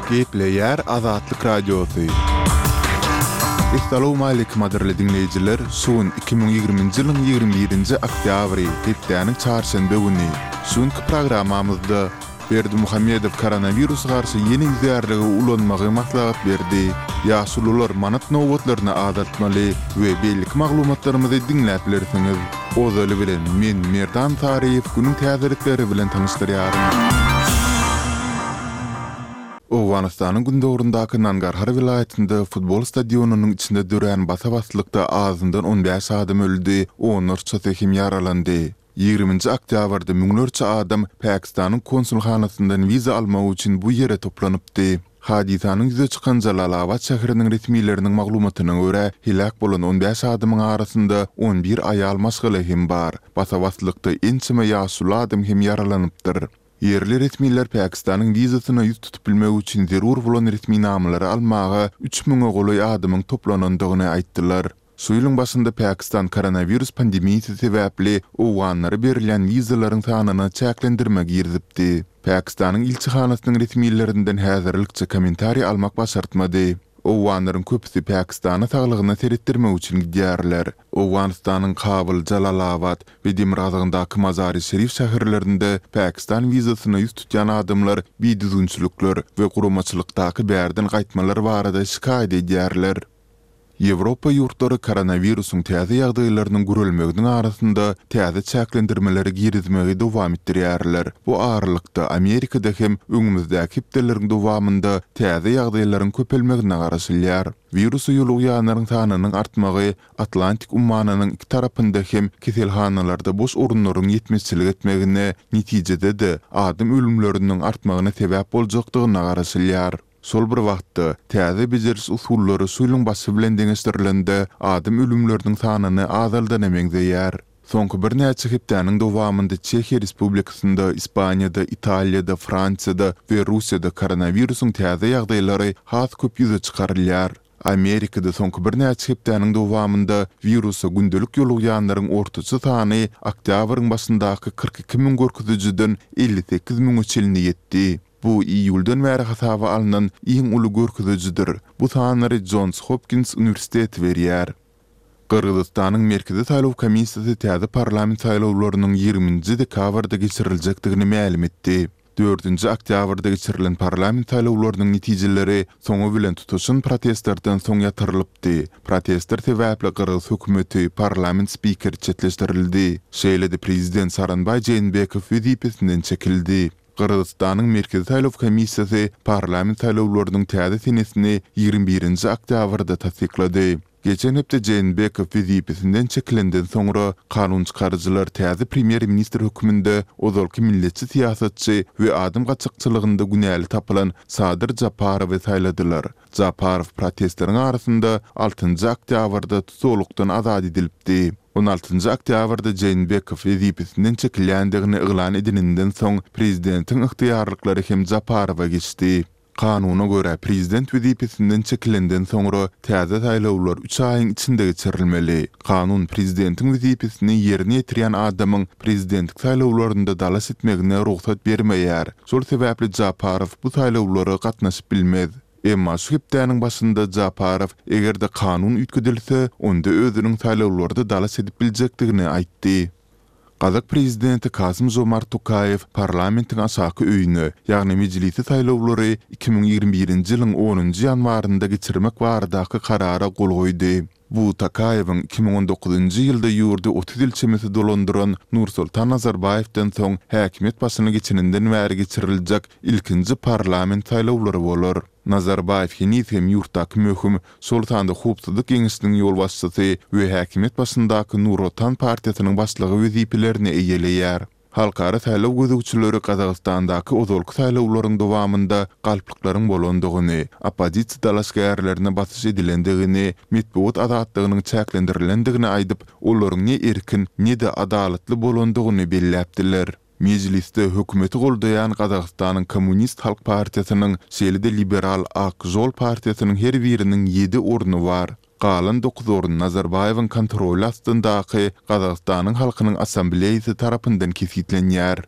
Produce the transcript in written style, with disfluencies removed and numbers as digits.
Gepleýär Azatlyk Radiosy. Essalawmaleýkim gadyrly diňleýjiler, şu gün 2020-nji ýylyň 21-nji oktýabry, hepdäniň çarşenbe güni. Şu günki programmamyzda Berdimuhamedow koronawirusa garşy ýene ýüzärligi ulanmagy maslahat berdi. Ýaşulular manat nobatlaryny azaltmaly we beýleki maglumatlarymyzy diňläp bilersiňiz. Ozaly bilen, men, Merdan Saryýew günüň täzelikleri bilen tanyşdyrýaryn. Owganystanyň gündogaryndaky Nangarhar welaýatynda futbol stadionynyň içinde dörän basa-baslykda azyndan on bäş adam öldi, onlarçasy hem ýaralandy. Ýigriminji oktýabrda müňlerçe adam Pakistanyň konsulhanasyndan wiza almak üçin bu ýere toplanypdy. Hadysanyň ýüze çykan Jalalabad şäheriniň resmileriniň maglumatyna görä, heläk bolan on bäş adamyň arasynda on bir aýal maşgala hem bar. Basa-baslykda ençeme ýaşuly adam hem ýaralanypdyr. Ýerli resmiler Pakistanyň wizasyna ýüz tutup bilmek üçin zerur bolan resminamalary almaga üç müňe golaý adamyň toplanandygyny aýtdylar. Şu ýylyň başynda Pakistan koronawirus pandemiýasy sebäpli owganlara berilýän wizalaryň sanyna çäklendirme girizipdi. Pakistanyň ilçihanasynyň resmilerinden häzirlikçe kommentariý almak başartmady. Owganlaryň köpüsi Pakistana saglygyna seretdirmek üçin gidýärler. Owganystanyň Kabul, Jalalabad we demirgazygyndaky Mazari-Şerif şäherlerinde Pakistan wizasyna ýüz tutýan adamlar bidüzgünçilikler we guramaçylykdaky bärden gaýtmalar barada şikaýat edýärler. Ýewropa ýurtlary koronawirusyň täze ýagdaýlarynyň gürelmeginiň arasynda täze çäklendirmeleri girizmegi dowam etdirýärler. Bu aralykda, Amerikada hem öňümizdäki hepdeleriň dowamynda täze ýagdaýlaryň köpelmegine garaşylýar. Wirusa ýolugýanlaryň sanynyň artmagy Atlantik ummanynyň iki tarapynda hem keselhanalarda boş orunlaryň ýetmezçilik etmegine, netijede-de, adam ölümleriniň artmagyna sebäp boljakdygyna garaşylýar. Şol bir wagtda, täze bejeriş usullary şu ýylyň başy bilen deňeşdirilende, adam ölümleriniň sanyny azaldana meňzeýär. Soňky birnäçe hepdäniň dowamynda Çehiýa Respublikasynda, Ispaniýada, Italiýada, Fransiýada we Russiýada koronawirusyň täze ýagdaýlary has köp ýüze çykarylýar. Amerikada soňky birnäçe hepdäniň dowamynda wirusa gündelik ýolugýanlaryň ortaça sany oktýabryň başyndaky 42 müň görkezijiden 58 müňe çenli ýetdi. Bu iýuldan bäri hasaba alnan iň uly görkezijidir. Bu sanlary Jons Hopkins uniwersiteti berýär. Gyrgyzystanyň Merkezi saýlaw komissiýasy täze parlament saýlawlarynyň ýigriminji dekabrda geçiriljekdigini mälim etdi. Dördünji oktýabrda geçirilen parlament saýlawlarynyň netijeleri soňy bilen tutaşan protestlerden soň ýatyrylypdy. Protestler sebäpli gyrgyz hökümeti, parlament spikeri çetleşdirildi. Şeýle-de prezident Sooronbaý Jeenbekow wezipesinden çekildi. Gyrgyzystanyň Merkezi saýlaw komissiýasy parlament saýlawlarynyň täze senesini 21-nji oktýabrda tassyklady. Geçen hepde Jeenbekow wezipesinden çekilenden soňra, kanunçykaryjylar täze premýer-ministr hökmünde ozalky milletçi syýasatçy we adam gaçakçylygynda günäli tapylan Sadyr Japarowy saýladylar. Japarow protestleriň arasynda altynjy oktýabrda tussaglykdan azat edilipdi. On altynjy oktýabrda Jeenbekow wezipesinden çekilýändigini yglan edeninden soň, prezidentiň ygtyýarlyklary hem Japarowa geçdi. Kanuna görä, prezident wezipesinden çekilenden soňra täze saýlawlar üç aýyň içinde geçirilmeli. Kanun prezidentiň wezipesini ýerine ýetirýän adamyň prezidentlik saýlawlarynda dalaş etmegine rugsat bermeýär. Şol sebäpli Japarow bu saýlawlara gatnaşyp bilmez. Emma şu hepdäniň başynda Japarow, eger-de kanun üýtgedilse, onda özüniň saýlawlarda dalaş edip biljekdigini aýtdy. Gazak prezidenti Kasym-Žomart Tokaýew parlamentiň aşaky öýüne, ýagny Mejlise saýlawlary 2021-nji ýylyň onunjy ýanwarynda geçirmek baradaky karara gol goýdy. Bu Tokaýewiň 2019-njy ýylda ýurdy 30 ýyl çemesi dolandyran Nursultan Nazarbaýewden soň häkimiýet başyna geçeninden bäri geçiriljek ilkinji parlament saýlawlary bolar. Nazarbaýew heniz hem ýurtdaky möhüm, şol sanda Howpsuzlyk geňeşiniň ýolbaşçysy we häkimiýet başyndaky Nur Otan partiýasynyň başlygy wezipelerini eýeleýär. Halkara saýlaw gözegçileri Gazagystandaky ozalky saýlawlaryň dowamynda galplyklaryň bolandygyny, oppozisiýa dalaşgärlerine basyş edilendigini, metbugat azatlygynyň çäklendirilendigini aýdyp, olaryň ne erkin, ne-de adalatly bolandygyny belläpdiler. Mejlisde hökümeti goldaýan Gazagystanyň Kommunist halk partiýasynyň, şeýle-de liberal Ak žol partiýasynyň her biriniň ýedi orny bar. Galan dokuz orun Nazarbaýewiň kontroly astyndaky Gazagystanyň halkynyň assambleýasy tarapyndan kesgitlenýär.